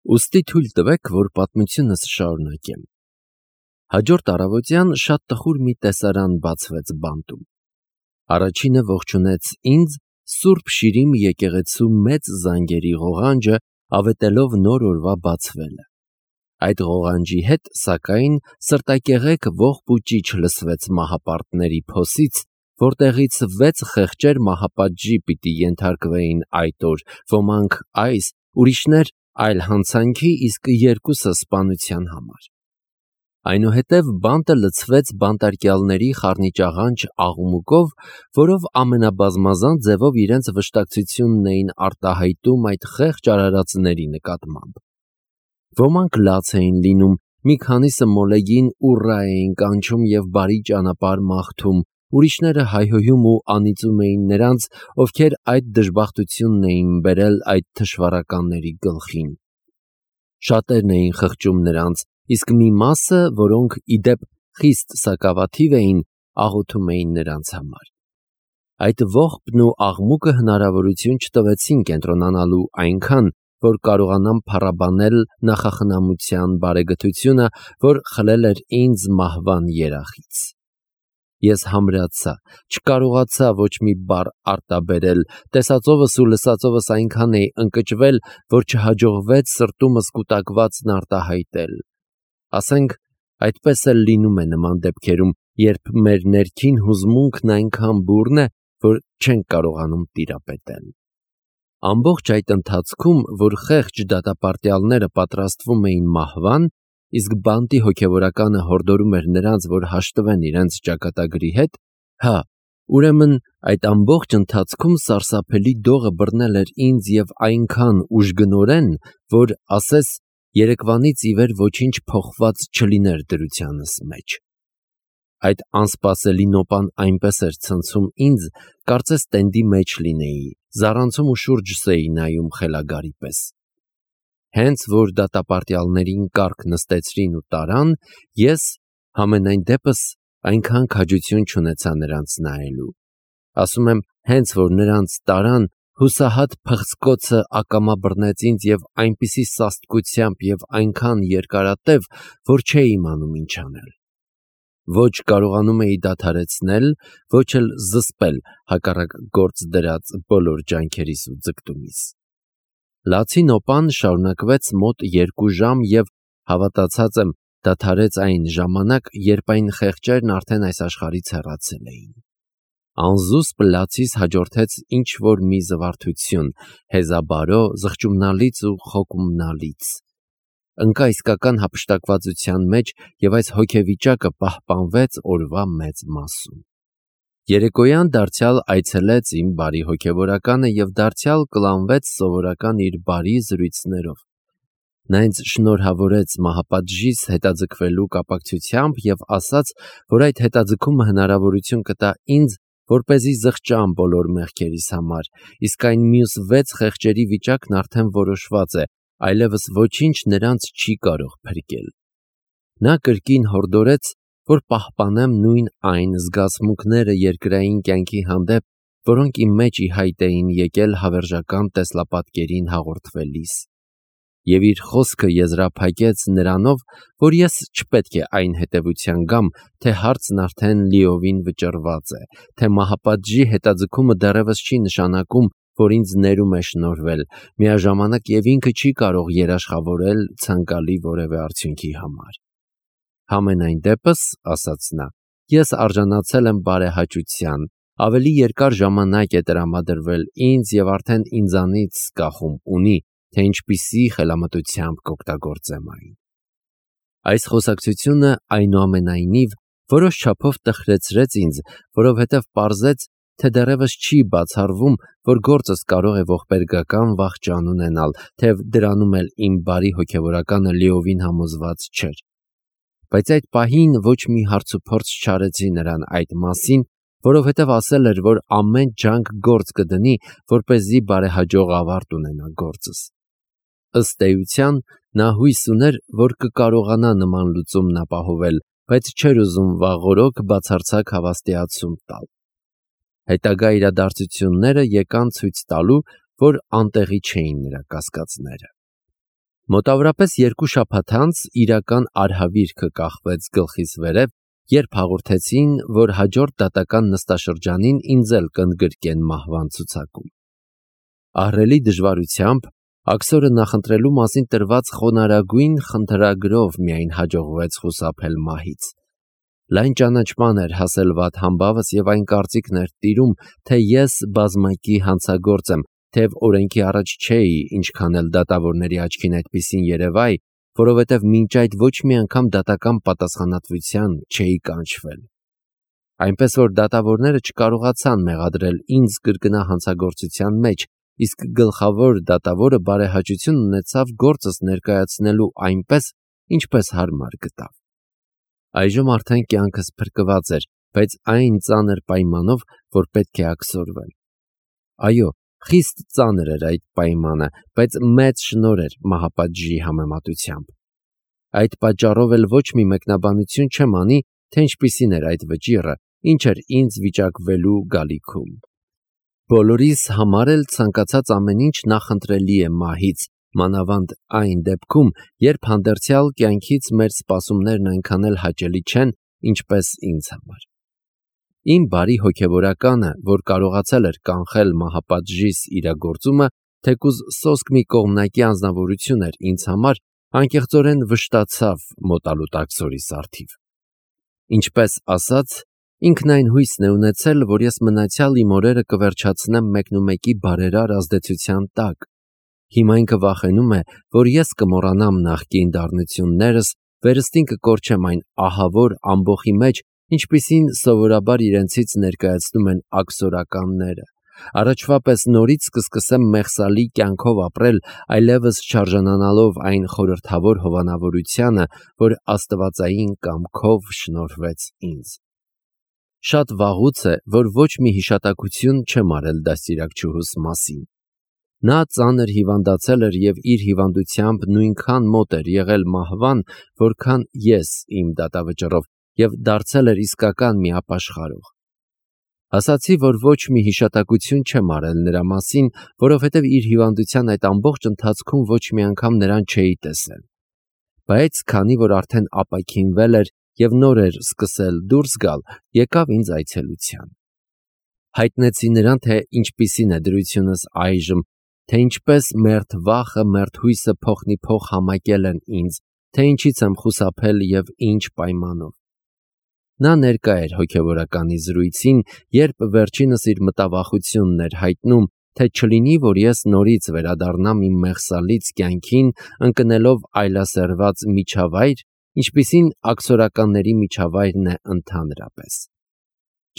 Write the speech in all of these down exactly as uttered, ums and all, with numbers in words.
Ուստի թույլ տվեք, որ պատմությունս շարունակեմ։ Հաջորդ առավոտյան շատ տխուր մի տեսարան բացվեց բանտում։ Առաջինը ողջունեց ինձ Սուրբ Շիրիմ եկեղեցու մեծ զանգերի ղողանջը, ավետելով նոր օրվա բացվելը։ Այդ ղողանջի հետ, սակայն, սրտակեղեկ ողբ ու ճիչ լսվեց մահապարտների փոսից, որտեղից վեց խեղճեր մահապատժի պիտի ենթարկվեին այդ օր, ոմանք այս, ուրիշներ այլ հանցանքի, իսկ երկուսը սպանության համար։ Այնուհետև բանտը լցվեց բանտարկյալների խառնիճաղանճ աղմուկով, որով ամենաբազմազան ձևով իրենց վշտակցությունն էին արտահայտում այդ խեղճ արարածների նկատմամբ։ Ոմանք լաց էին լինում, մի քանիսը մոլեգին ուռա էին կանչում և բարի ճանապարհ մաղթում, ուրիշները հայհոյում ու անիծում էին նրանց, ովքեր այդ դժբախտությունն էին բերել այդ թշվառականների գլխին։ Շատերն էին խղճում նրանց, իսկ մի մասը, որոնք ի դեպ խիստ սակավաթիվ էին, աղոթում էին նրանց համար։ Այդ ողբն ու աղմուկը հնարավորություն չտվեցին կենտրոնանալու այնքան, որ կարողանամ փառաբանել նախախնամության բարեգթությունը, որ խլել էր ինձ մահվան երախից։ Ես համրացա, չկարողացա ոչ մի բառ արտաբերել, տեսածովս ու լսածովս այնքան էի ընկճվել, որ չհաջողվեց սրտումս կուտակվածն արտահայտել։ Ասենք, այդպես էլ լինում է նման դեպքերում, երբ մեր ներքին հուզմունքն այնքան բուռն է, որ չենք կարողանում տիրապետել։ Ամբողջ այդ ընթացքում, որ խեղճ դատապարտյալները պատրաստվում էին մահվան, իսկ բանտի հոգևորականը հորդորում էր նրանց, որ հաշտվեն իրենց ճակատագրի հետ, հա, ուրեմն այդ ամբողջ ընթացքում սարսափելի դողը բռնել էր ինձ և այնքան ուժգնորեն, որ, ասես, երեկվանից ի վեր ոչինչ փոխված չլիներ դրությանս մեջ։ Այդ անսպասելի նոպան այնպես էր ցնցում ինձ, կարծես տենդի մեջ լինեի, զառանցում ու շուրջս էի նայում խելագարի պես։ Հենց որ դատապարտյալներին կառք նստեցրին ու տարան, ես, համենայն դեպս, այնքան քաջություն չունեցա նրանց նայելու։ Ասում եմ, հենց որ նրանց տարան, հուսահատ փղձկոցը ակամա բռնեց ինձ և այնպիսի սաստկությամբ և այնքան երկարատև, որ չէի իմանում ինչ անել։ Ոչ կարողանում էի դադարեցնել, ոչ էլ զսպել հակառակ գործ դրած բոլոր ջանքերիս ու ձգտումիս։ Լացի նոպան շարունակվեց մոտ երկու ժամ և, հավատացած եմ, դադարեց այն ժամանակ, երբ այն խեղճերն արդեն այս աշխարհից հեռացել էին։ Անզուսպ լացիս հաջորդեց ինչ-որ մի զվարթություն, հեզաբարո, զղջումնալից ու խոկումնալից։ Ընկա իսկական հափշտակվածության մեջ և այս հոգեվիճակը պահպանվեց օրվա մեծ մասում։ Երեկոյան դարձյալ այցելեց իմ բարի հոգևորականը և դարձյալ կլանվեց սովորական իր բարի զրույցներով։ Նա ինձ շնորհավորեց մահապատժից հետաձգվելու կապակցությամբ և ասաց, որ այդ հետաձգումը հնարավորություն կտա ինձ, որպեսզի զղջամ բոլոր մեղքերիս համար, իսկ այն մյուս վեց խեղճերի վիճակն արդեն որոշված է, այլևս ոչինչ նրանց չի կարող փրկել։ Նա կրկին հորդորեց, որ պահպանեմ նույն այն զգացմունքները երկրային կյանքի հանդեպ, որոնք իմ մեջ ի հայտ էին եկել հավերժական տեսլապատկերին հաղորդվելիս։ Եվ իր խոսքը եզրափակեց նրանով, որ ես չպետք է այն հետևության գամ, թե հարցն արդեն լիովին վճռված է, թե մահապատժի հետաձգումը դեռևս չի նշանակում, որ ինձ ներում է շնորհվել, միաժամանակ և ինքը չի կարող երաշխավորել ցանկալի որևէ արդյունքի համար։ Համենայն դեպս, ասաց նա, ես արժանացել եմ բարեհաճության, ավելի երկար ժամանակ է տրամադրվել ինձ և արդեն ինձանից կախում ունի, թե ինչպիսի խելամտությամբ կօգտագործեմ այն։ Այս խոսակցությունը, այնուամենայնիվ, որոշ չափով տխրեցրեց ինձ, որովհետև պարզեց, թե դեռևս չի բացառվում, որ գործս կարող է ողբերգական վախճան ունենալ, թեև դրանում էլ իմ բարի հոգևորականը լիովին համոզված չէր։ Բայց այդ պահին ոչ մի հարցուփորձ չարեցի նրան այդ մասին, որովհետև ասել էր, որ ամեն ջանք գործ կդնի, որպեսզի բարեհաջող ավարտ ունենա գործս։ Ըստ էության, նա հույս ուներ, որ կկարողանա նման լուծումն ապահովել, բայց չէր ուզում վաղօրոք բացարձակ հավաստիացում տալ։ Հետագա իրադարձությունները եկան ցույց տալու, որ անտեղի չէին նրա կասկածները։ Մոտավորապես երկու շաբաթ անց իրական արհավիրքը կախվեց գլխիս վերև, երբ հաղորդեցին, որ հաջորդ դատական նստաշրջանին ինձ էլ կընդգրկեն մահվան ցուցակում։ Ահռելի դժվարությամբ աքսորը նախընտրելու մասին տրված խոնարհագույն խնդրագրով միայն հաջողվեց խուսափել մահից։ Լայն ճանաչման էր հասել վատ համբավս և այն կարծիքն էր տիրում, թե ես բազմակի հանցագործ եմ, թեև օրենքի առաջ չէի, ինչքան էլ դատավորների աչքին այդպիսին երևայ, որովհետև մինչ այդ ոչ մի անգամ դատական պատասխանատվության չէի կանչվել։ Այնպես որ դատավորները չկարողացան մեղադրել ինձ կրկնա հանցագործության մեջ, իսկ գլխավոր դատավորը բարեհաճություն ունեցավ գործս ներկայացնելու այնպես, ինչպես հարմար գտավ։ Այժմ արդեն կյանքս փրկված էր, բայց այն ծանր պայմանով, որ պետք է աքսորվել։ Այո, խիստ ծանր էր այդ պայմանը, բայց մեծ շնորհ էր մահապատժի համեմատությամբ։ Այդ պատճառով էլ ոչ մի մեկնաբանություն չեմ անի, թե ինչպիսին էր այդ վճիռը, ինչ էր ինձ վիճակվելու գալիքում։ Բոլորիս համար էլ ցանկացած ամեն ինչ նախընտրելի է մահից, մանավանդ այն դեպքում, երբ հանդերձյալ կյանքից մեր սպասումներն այնքան էլ հաճելի չեն, ինչպես ինձ համար։ Իմ բարի հոգևորականը, որ կարողացել էր կանխել մահապատժիս իրագործումը, թեկուզ սոսկ մի կողմնակի անձնավորություն էր ինձ համար, անկեղծորեն վշտացավ մոտալուտ աքսորի սարթիվ։ Ինչպես ասած, ինքն այն հույսն է ունեցել, որ ես մնացյալ իմ օրերը կվերջացնեմ մեկնումեկի բարերար ազդեցության տակ։ Հիմա ինքը վախենում է, որ ես կմոռանամ նախկին դառնություններս, վերստին կկորչեմ այն ահավոր ամբոխի մեջ, ինչպիսին սովորաբար իրենցից ներկայացնում են աքսորականները։ Առաջվա պես նորից կսկսեմ մեղսալի կյանքով ապրել, այլևս չարժանանալով այն խորհրդավոր հովանավորությանը, որ աստվածային կամքով շնորհվեց ինձ։ Շատ վաղուց է, որ ոչ մի հիշատակություն չեմ արել դաստիարակչուհուս մասին։ Նա ծանր հիվանդացել էր և իր հիվանդությամբ նույնքան մոտ էր եղել մահվան, որքան ես իմ դատավճռով, և դարձել էր իսկական մի ապաշխարող։ Ասացի, որ ոչ մի հիշատակություն չեմ արել նրա մասին, որովհետև իր հիվանդության այդ ամբողջ ընթացքում ոչ մի անգամ նրան չէի տեսել։ Բայց քանի որ արդեն ապաքինվել էր և նոր էր սկսել դուրս գալ, եկավ ինձ այցելության։ Հայտնեցի նրան, թե ինչպիսին է դրությունս այժմ, թե ինչպես մերթ վախը, մերթ հույսը փոխնիփոխ համակել են ինձ, թե ինչից եմ խուսափել և ինչ պայմանով։ Նա ներկա էր հոգևորականի զրույցին, երբ վերջինս իր մտավախությունն էր հայտնում, թե չլինի, որ ես նորից վերադառնամ իմ մեղսալից կյանքին, ընկնելով այլասերված միջավայր, ինչպիսին աքսորականների միջավայրն է ընդհանրապես։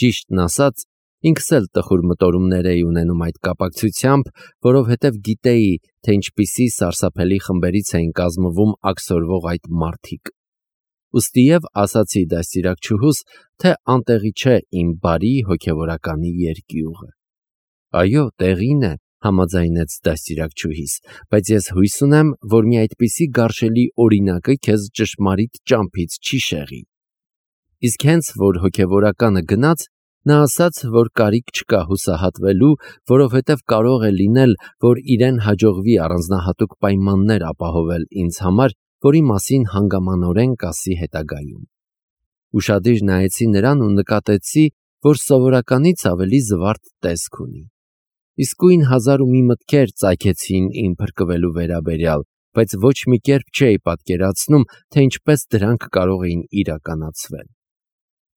Ճիշտն ասած, ինքս էլ տխուր մտորումներ էի ունենում այդ կապակցությամբ, որովհետև գիտեի, թե ինչպիսի սարսափելի խմբերից էին կազմվում աքսորվող այդ մարդիկ։ Ուստիև ասացի դաստիարակչուհուս, թե անտեղի չէ իմ բարի հոգևորականի երկյուղը։ Այո, տեղին է, համաձայնեց դաստիարակչուհիս, բայց ես հույս ունեմ, որ մի այդպիսի գարշելի օրինակը քեզ ճշմարիտ ճամփից չի շեղի։ Իսկ հենց որ հոգևորականը գնաց, նա ասաց, որ կարիք չկա հուսահատվելու, որովհետև կարող է լինել, որ իրեն հաջողվի առանձնահատուկ պայմաններ ապահովել ինձ համար, որի մասին հանգամանորեն կասի հետագայում։ Ուշադիր նայեցի նրան ու նկատեցի, որ սովորականից ավելի զվարթ տեսք ունի։ Իսկույն հազար ու մի մտքեր ծագեցին իմ փրկվելու վերաբերյալ, բայց ոչ մի կերպ չէի պատկերացնում, թե ինչպես դրանք կարող էին իրականացվել։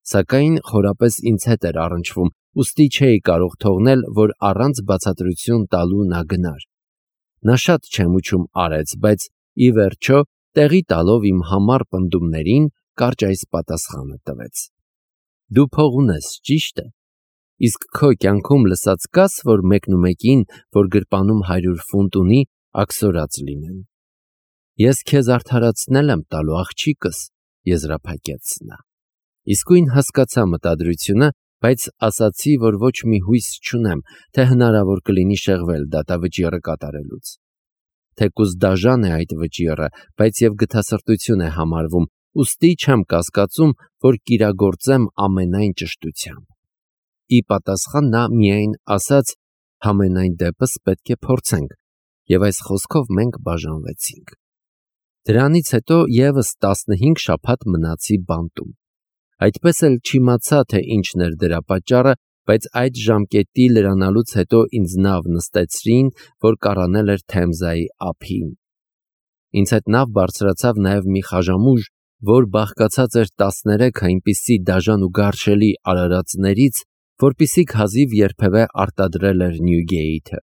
Սակայն խորապես ինձ հետ էր առնչվում, ուստի չէի կարող թողնել, որ առանց բացատրություն տալու նա գնար։ Նա շատ չեմուչում արեց, բայց ի վերջո, տեղի տալով իմ համառ պնդումներին, կարճ այս պատասխանը տվեց. Դու փող ունես, ճիշտ է, իսկ քո կյանքում լսած կաս, որ մեկնումեկին, որ գրպանում հարյուր ֆունտ ունի, աքսորած լինեն։ Ես քեզ արդարացնել եմ տալու, աղջիկս, եզրափակեց նա։ Իսկույն հասկացա մտադրությունը, բայց ասացի, որ ոչ մի հույս չունեմ, թե հնարավոր կլինի շեղվել դատավճիռը կատարելուց։ Թեկուզ դաժան է այդ վճիռը, բայց և գթասրտություն է համարվում, ուստի չեմ կասկածում, որ կիրագործեմ ամենայն ճշտությամբ։ Ի պատասխան նա միայն ասաց. համենայն դեպս պետք է փորձենք, և այս խոսքով մենք բաժանվեցինք։ Դրանից հետո եւս տասնհինգ շաբաթ մնացի բանտում։ Այդպես էլ չիմացա, թե ինչն էր դրա պատճառը, բայց այդ ժամկետի լրանալուց հետո ինձ նավ նստեցրին, որ կառանել էր Թեմզայի ափին։ Ինձ հետ նավ բարձրացավ նաև մի խաժամուժ, որ բաղկացած էր տասներեք այնպիսի դաժան ու գարշելի արարածներից, որպիսիք հազիվ երբևէ արտադրել էր Նյուգեիթը։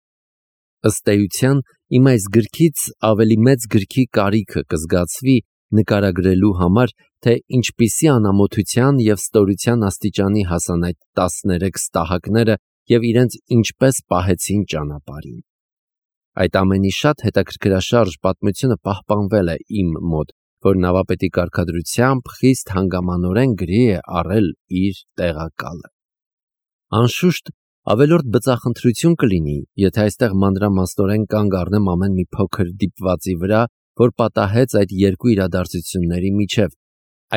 Ըստ էության, իմ այս գրքից ավելի մեծ գրքի կարիքը կզգացվի նկարագրելու համար, թե ինչպիսի անամոթության և ստորության աստիճանի հասան այդ տասներեք ստահակները և իրենց ինչպես պահեցին ճանապարհին։ Այդ ամենի շատ հետաքրքրաշարժ պատմությունը պահպանվել է իմ մոտ, որ նավապետի կարգադրությամբ խիստ հանգամանորեն գրի է առել իր տեղակալը։ Անշուշտ, ավելորդ բծախնդրություն կլինի, եթե այստեղ մանրամասնորեն կանգ առնեմ ամեն մի փոքր դիպվածի վրա, որ պատահեց այդ երկու իրադարձությունների միջև,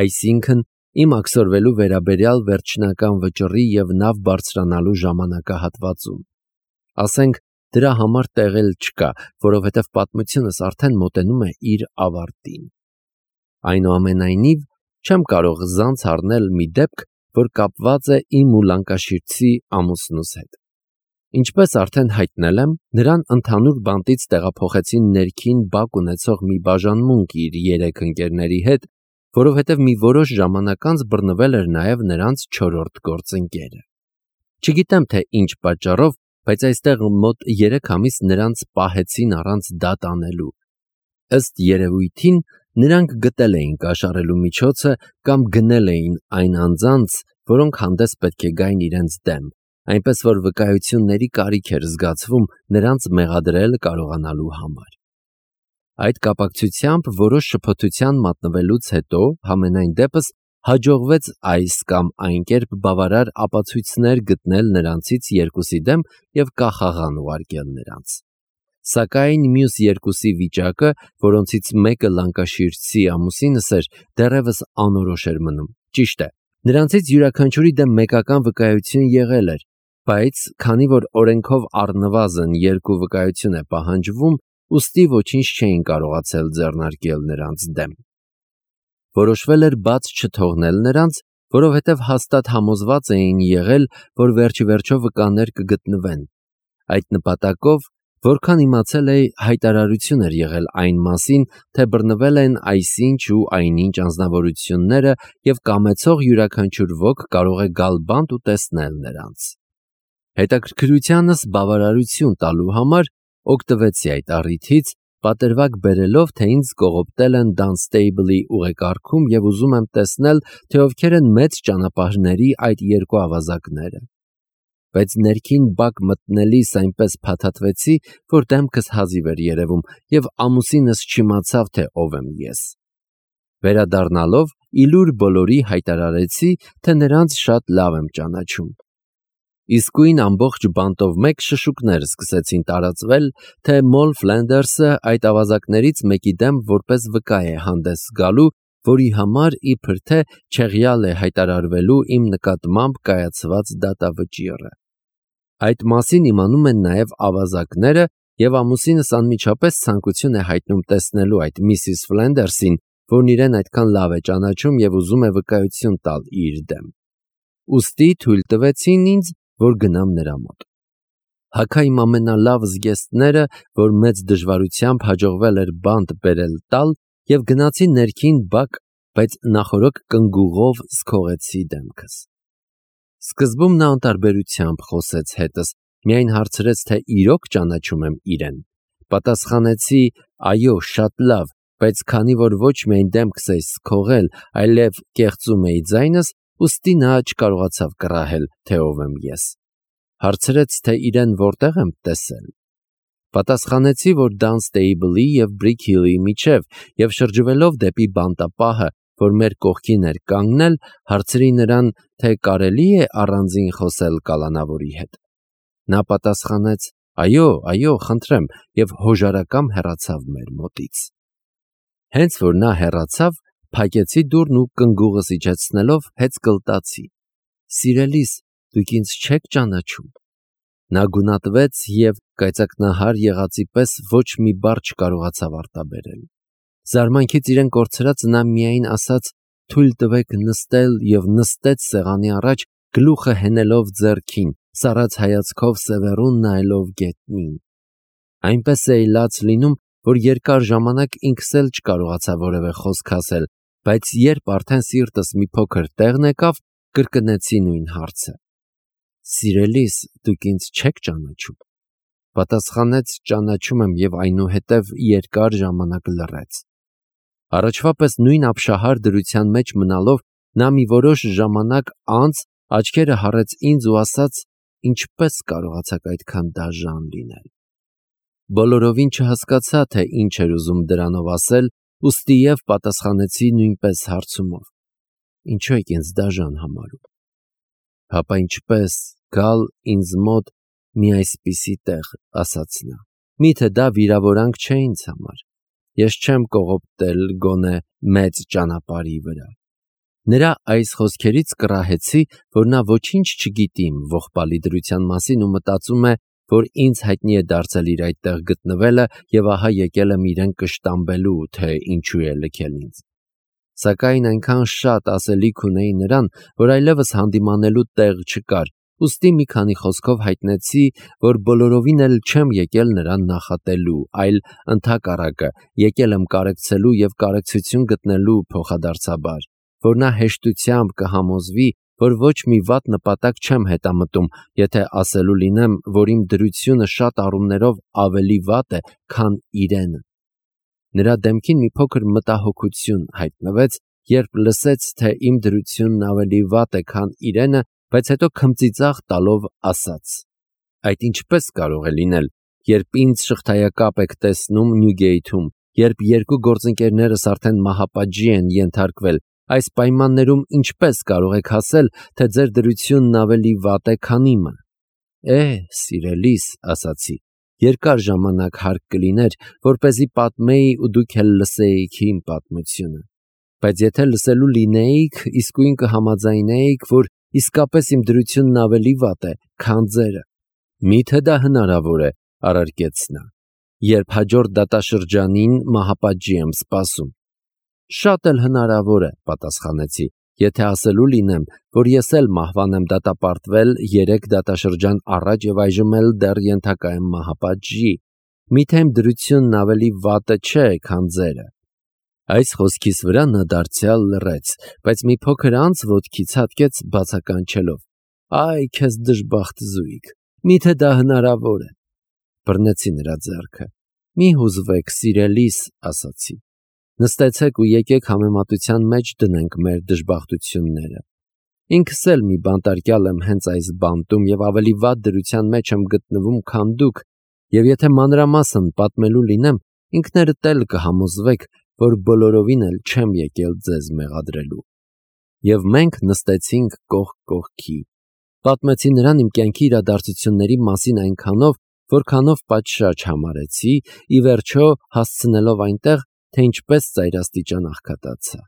այսինքն իմ աքսորվելու վերաբերյալ վերջնական վճռի և նավ բարձրանալու ժամանակահատվածում։ Ասենք, դրա համար տեղ էլ չկա, որովհետև պատմությունս արդեն մոտենում է իր ավարտին։ Այնուամենայնիվ, չեմ կարող զանց առնել մի դեպք, որ կապված է իմ ու լանկաշիրցի ամուսնուս հետ։ Ինչպես արդեն հայտնել եմ, նրան ընդհանուր բանտից տեղափոխեցին ներքին բակ ունեցող մի բաժանմունք իր երեք ընկերների հետ, որովհետև մի որոշ ժամանակ անց բռնվել էր նաև նրանց չորրորդ գործընկերը։ Չգիտեմ, թե ինչ պատճառով, բայց այստեղ մոտ երեք ամիս նրանց պահեցին առանց դատ անելու։ Ըստ երևույթին, նրանք գտել էին կաշառելու միջոցը կամ գնել էին այն անձանց, որոնք հանդես պետք է գային իրենց դեմ, այնպես որ վկայությունների կարիք էր զգացվում նրանց մեղադրել կարողանալու համար։ Այդ կապակցությամբ որոշ շփոթության մատնվելուց հետո, համենայն դեպս, հաջողվեց այս կամ այն կերպ բավարար ապացույցներ գտնել նրանցից երկուսի դեմ և կախաղան ուղարկել նրանց։ Սակայն մյուս երկուսի վիճակը, որոնցից մեկը լանկաշիրցի ամուսինս էր, դեռևս անորոշ էր մնում։ Ճիշտ է, նրանցից յուրաքանչյուրի դեմ մեկական վկայություն եղել էր, բայց քանի որ օրենքով առնվազն երկու վկայություն է պահանջվում, ուստի ոչինչ չէին կարողացել ձեռնարկել նրանց դեմ։ Որոշվել էր բաց չթողնել նրանց, որովհետև հաստատ համոզված էին եղել, որ վերջիվերջո վկաներ կգտնվեն։ Այդ նպատակով, որքան իմացել էի, հայտարարություն էր եղել այն մասին, թե բռնվել են այսինչ ու այնինչ անձնավորությունները և կամեցող յուրաքանչյուր ոք կարող է գալ բանտ ու տեսնել նրանց։ Հետաքրքրությանս բավարարություն տալու համար օգտվեցի այդ առիթից, պատրվակ բերելով, թե ինձ կողոպտել են Դանստեյբլի ուղեկարգում և ուզում եմ տեսնել, թե ովքեր են մեծ ճանապարհների այդ երկու ավազակները։ Բայց ներքին բակ մտնելիս այնպես փաթաթվեցի, որ դեմքս հազիվ էր երևում և ամուսինս չիմացավ, թե ով եմ ես։ Վերադառնալով, իլուր բոլորի հայտարարեցի, թե նրանց շատ լավ եմ ճանաչում։ Իսկույն ամբողջ բանտով մեկ շշուկներ սկսեցին տարածվել, թե Մոլ Ֆլենդերսը այդ ավազակներից մեկի դեմ որպես վկա է հանդես գալու, որի համար իբր թե չեղյալ է հայտարարվելու իմ նկատմամբ կայացված դատավճիռը։ Այդ մասին իմանում են նաև ավազակները, և ամուսինս անմիջապես ցանկություն է հայտնում տեսնելու այդ միսիս Ֆլենդերսին, որն իրեն այդքան լավ է ճանաչում և ուզում է վկայություն տալ իր դեմ։ Ուստի թույլ տվեցին ինձ, որ գնամ նրա մոտ։ Հագա իմ ամենալավ զգեստները, որ մեծ դժվարությամբ հաջողվել էր բանտ բերել տալ, և գնացի ներքին բակ, բայց նախօրոք կնգուղով զքողեցի դեմքս։ Սկզբում նա անտարբերությամբ խոսեց հետս, միայն հարցրեց, թե իրոք ճանաչում եմ իրեն։ Պատասխանեցի. այո, շատ լավ, բայց քանի որ ոչ միայն դեմքս էի զքողել, այլև կեղծում էի ձայնս, ուստի նա չկարողացավ կռահել, թե ով եմ ես։ Հարցրեց, թե իրեն որտեղ եմ տեսել։ Պատասխանեցի, որ Դանստեյբլի և Բրիքհիլի միջև, և շրջվելով դեպի բանտապահը, որ մեր կողքին էր կանգնել, հարցրի նրան, թե կարելի է առանձին խոսել կալանավորի հետ։ Նա պատասխանեց. այո, այո, խնդրեմ, և հոժարակամ հեռացավ մեր մոտից։ Հենց որ նա հեռացավ, փակեցի դուռն ու կնգուղս իջեցնելով հեծկլտացի. սիրելիս, դուք ինձ չեք ճանաչում։ Նա գունատվեց և կայծակնահար եղածի պես ոչ մի բառ չկարողացավ արտաբերել։ Զարմանքից իրեն կորցրած նա միայն ասաց «թույլ տվեք նստել» և նստեց սեղանի առաջ, գլուխը հենելով ձեռքին, սառած հայացքով սևեռուն նայելով գետնին։ Այնպես է լաց լինում, որ երկար ժամանակ ինքս էլ չկարողացա որևէ խոսք ասել, բայց երբ արդեն սիրտս մի փոքր տեղն եկավ, կրկնեցի նույն հարցը։ «Սիրելիս, դուք ինձ չեք ճանաչում»։ Պատասխանեց «ճանաչում եմ» և այնուհետև երկար ժամանակ լռեց։ Առաջվա պես նույն ապշահար դրության մեջ մնալով, նա մի որոշ ժամանակ անց աչքերը հառեց ինձ ու ասաց. «Ինչպե՞ս կարողացաք այդքան դաժան լինել»։ Բոլորովին չհասկացա, թե ինչ էր ուզում դրանով ասել, ուստի և պատասխանեցի նույնպես հարցումով. «Ինչու եք ինձ դաժան համարում»։ «Հապա ինչպե՞ս գալ ինձ մոտ մի այսպիսի տեղ», ասաց նա։ «Միթե դա վիրավորանք չէ ինձ համար։ Ես չեմ կողոպտել գոնե մեծ ճանապարհի վրա»։ Նրա այս խոսքերից կռահեցի, որ նա ոչինչ չգիտի իմ ողբալի դրության մասին ու մտածում է, որ ինձ հայտնի է դարձել իր այդտեղ գտնվելը և ահա եկել եմ իրեն կշտամբելու, թե ինչու է լքել ինձ։ Սակայն այնքան շատ ասելիք ունեի նրան, որ այլևս հանդիմանելու տեղ չկար, ուստի մի քանի խոսքով հայտնեցի, որ բոլորովին էլ չեմ եկել նրան նախատելու, այլ ընդհակառակը եկել եմ կարեկցելու և կարեկցություն գտնելու փոխադարձաբար, որ նա հեշտությամբ կհամոզվի, որ ոչ մի վատ նպատակ չեմ հետամտում, եթե ասելու լինեմ, որ իմ դրությունը շատ առումներով ավելի վատ է, քան իրենը։ Նրա դեմքին մի փոքր մտահոգություն հայտնվեց, երբ լսեց, թե իմ դրությունն ավելի վատ է, քան իրենը, բայց հետո քմծիծաղ տալով ասաց. «Այդ ինչպես կարող է լինել, երբ ինձ շղթայակապ եք տեսնում Նյուգեյթում, երբ երկու գործընկերներս արդեն մահապատժի են ենթարկվել, այս պայմաններում ինչպես կարող եք ասել, թե ձեր դրությունն ավելի վատ է, քան իմը»։ «Է, սիրելիս», ասացի, «երկար ժամանակ հարկ կլիներ, որպեսզի պատմեի ու դուք էլ լսեիք իմ պատմությունը, բայց եթե լսելու լինեիք, իսկույն կհամաձայնեիք, որ իսկապես իմ դրությունն ավելի վատ է, քան ձերը»։ «Միթե դա հնարավոր է», առարկեց նա, «երբ հաջորդ դատաշրջանին մահապատժի եմ սպասում»։ «Շատ էլ հնարավոր է», պատասխանեցի, «եթե ասելու լինեմ, որ ես էլ մահվան եմ դատապարտվել երեք դատաշրջան առաջ և այժմ էլ դեռ ենթակա եմ մահապատժի, միթե իմ դրությունն ավելի վատը չէ, քան ձերը»։ Այս խոսքիս վրա նա դարձյալ լռեց, բայց մի փոքր անց ոտքից հատկեց բացականչելով. «Այ քեզ դժբախտ զույգ, միթե դա հնարավոր է»։ Բռնեցի նրա ձեռքը։ «Մի հուզվեք, սիրելիս», ասացի։ «Նստեցեք ու եկեք համեմատության մեջ դնենք մեր դժբախտությունները։ Ինքս էլ մի բանտարկյալ եմ հենց այս բանտում և ավելի վատ դրության մեջ եմ գտնվում, քան դուք, և եթե մանրամասն պատմելու լինեմ, ինքներդ էլ կհամոզվեք, որ բոլորովին էլ չեմ եկել ձեզ մեղադրելու»։ Եվ մենք նստեցինք կողք կողքի։ Պատմեցի նրան իմ կյանքի իրադարձությունների մասին այնքանով, որքանով պատշաճ համարեցի, ի վերջո հասցնելով այնտեղ, թե ինչպես ծայրաստիճան աղքատացա։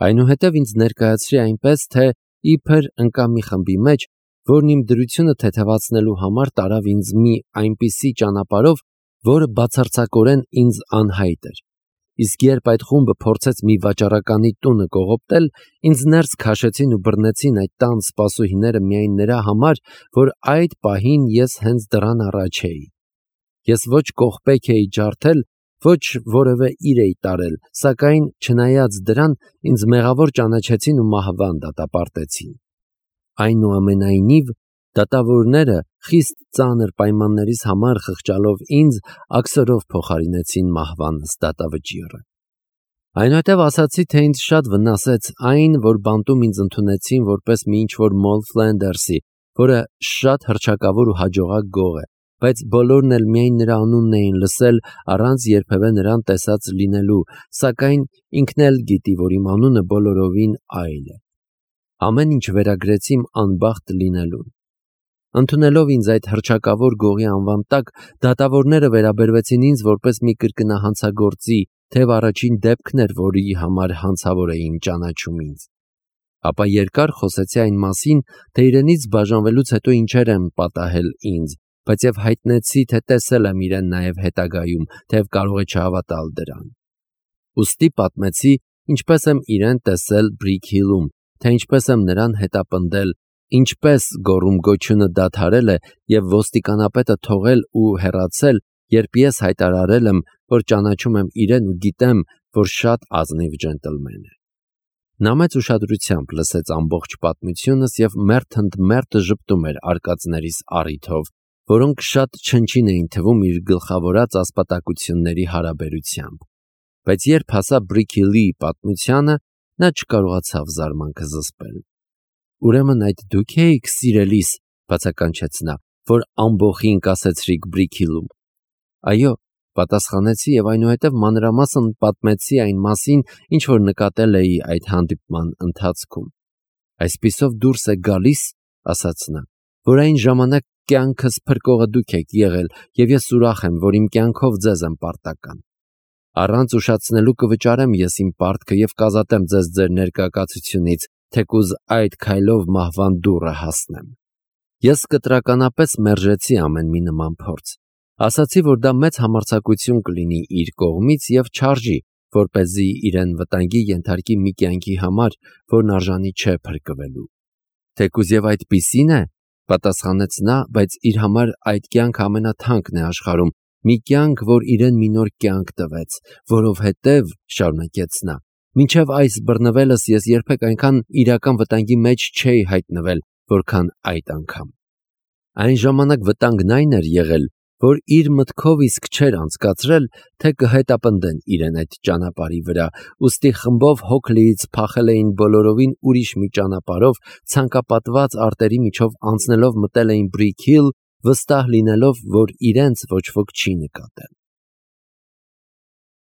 Այնուհետև ինձ ներկայացրի այնպես, թե իբր ընկա մի խմբի մեջ, որն իմ դրությունը թեթևացնելու համար տարավ ինձ մի այնպիսի ճանապարհով, որը բացարձակորեն ինձ անհայտ էր։ Իսկ երբ այդ խումբը փորձեց մի վաճառականի տունը կողոպտել, ինձ ներս քաշեցին ու բռնեցին այդ տան սպասուհիները միայն նրա համար, որ այդ պահին ես հենց դռան առաջ էի։ Ես ոչ կողպեք էի ջարդել, ոչ որևէ իր էի տարել, սակայն չնայած դրան, ինձ մեղավոր ճանաչեցին ու մահվան դատապարտեցին։ Այնուամենայնիվ, դատավորները խիստ ծանր պայմաններիս համար խղճալով ինձ, աքսորով փոխարինեցին մահվանս դատավճիռը։ Այնուհետև ասացի, թե ինձ շատ վնասեց այն, որ բանտում ինձ ընդունեցին որպես մի ինչ-որ Մոլ Ֆլենդերսի, որը շատ հռչակավոր ու հաջողակ գող է, բայց բոլորն էլ միայն նրա անունն էին լսել, առանց երբևէ նրան տեսած լինելու, սակայն ինքն էլ գիտի, որ իմ անունը բոլորովին այլ է։ Ամեն ինչ վերագրեցի իմ անբախտ լինելուն։ Ընդունելով ինձ այդ հռչակավոր գողի անվան տակ, դատավորները վերաբերվեցին ինձ որպես մի կրկնահանցագործի, թեև առաջին դեպքն էր, որի համար հանցավոր էին ճանաչում ինձ։ Ապա երկար խոսեցի այն մասին, թե իրենից բաժանվելուց հետո ինչեր եմ պատահել ինձ, բայց և հայտնեցի, թե տեսել եմ իրեն նաև հետագայում, թեև կարող է չհավատալ դրան։ Ուստի պատմեցի, ինչպես եմ իրեն տեսել Brick Hill-ում, թե ինչպես եմ նրան հետապնդել, ինչպես գոռում-գոչյունը դադարել է և ոստիկանապետը թողել ու հեռացել, երբ ես հայտարարել եմ, որ ճանաչում եմ իրեն ու գիտեմ, որ շատ ազնիվ ջենտլմեն է։ Նա մեծ ուշադրությամբ լսեց ամբողջ պատմությունս և մերթ ընդ մերթ ժպտում էր արկածներիս առիթով, որոնք շատ չնչին էին թվում իր գլխավորած ասպատակությունների հարաբերությամբ։ Բայց երբ հասա Brick Hill-ի պատմությանը, նա չկարողացավ զարմանքը զսպել։ «Ուրեմն այդ դուք էիք, սիրելիս», բացականչեց նա, «որ ամբոխին կասեցրիք Brick Hill-ում»։ «Այո», պատասխանեցի և այնուհետև մանրամասն պատմեցի այն մասին, ինչ որ նկատել էի այդ հանդիպման ընթացքում։ «Այսպիսով դուրս է գալիս, — ասաց նա, — որ այն ժամանակ կյանքս փրկողը դուք եք եղել, և ես ուրախ եմ, որ իմ կյանքով ձեզ եմ պարտական։ Առանց ուշացնելու կվճարեմ ես իմ պարտքը և կազատեմ ձեզ ձեր ներկայացությունից, թեկուզ այդ քայլով մահվան դուռը հասնեմ»։ Ես կտրականապես մերժեցի ամեն մի նման փորձ։ Ասացի, որ դա մեծ համարձակություն կլինի իր կողմից և չարժի, որպեսզի իրեն վտանգի ենթարկի մի կյանքի համար, որն արժանի չէ փրկվելու։ «Թեկուզ և այդպիսին է, — պատասխանեց նա, — բայց իր համար այդ կյանքը ամենաթանկն է աշխարհում, մի կյանք, որ իրեն մի նոր կյանք տվեց, որովհետև, — շարունակեց նա, — մինչև այս բռնվելս ես երբեք այնքան իրական վտանգի մեջ չէի հայտնվել, որքան այդ անգամ։ Այն ժամանակ վտանգն այն էր եղել, որ իր մտքով իսկ չէր անցկացրել, թե կհետապնդեն իրեն այդ ճանապարհի վրա, ուստի խմբով հոգլիից փախել էին բոլորովին ուրիշ մի ճանապարհով, ցանկապատված արտերի միջով անցնելով մտել էին Brick Hill, վստահ լինելով, որ իրենց ոչ ոք չի նկատել։